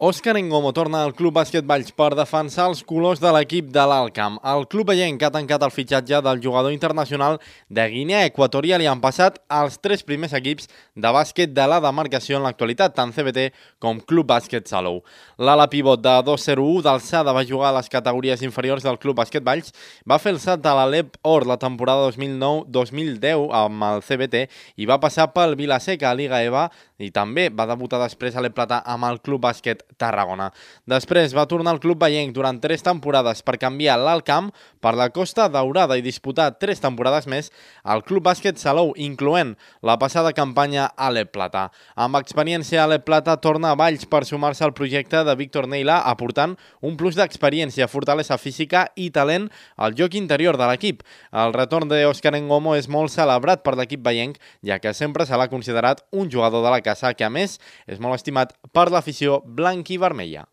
Òscar Engomo torna al Club Bàsquet Valls per defensar els colors de l'equip de l'Alt Camp. El club vellenc ha tancat el fitxatge del jugador internacional de Guinea Equatorial i han passat els tres primers equips de bàsquet de la demarcació en l'actualitat, tant CBT com Club Bàsquet Salou. L'ala pivot de 2-0-1 d'alçada va jugar a les categories inferiors del Club Bàsquet Valls, va fer el salt a l'Alep Or la temporada 2009-2010 amb el CBT i va passar pel Vilaseca a Liga EVA i també va debutar després a l'Ep Plata amb el Club Bàsquet Tarragona. Després va tornar al club vellenc durant 3 temporades per canviar l'Alt Camp per la Costa Daurada i disputar 3 temporades més al Club Bàsquet Salou, incloent la passada campanya a l'Ep Plata. Amb experiència a l'Ep Plata torna a Valls per sumar-se al projecte de Víctor Neila, aportant un plus d'experiència, fortalesa física i talent al joc interior de l'equip. El retorn d'Òscar Engomo és molt celebrat per l'equip vellenc, ja que sempre se l'ha considerat un jugador de la casa que, a més, és molt estimat per l'afició blanc i vermella.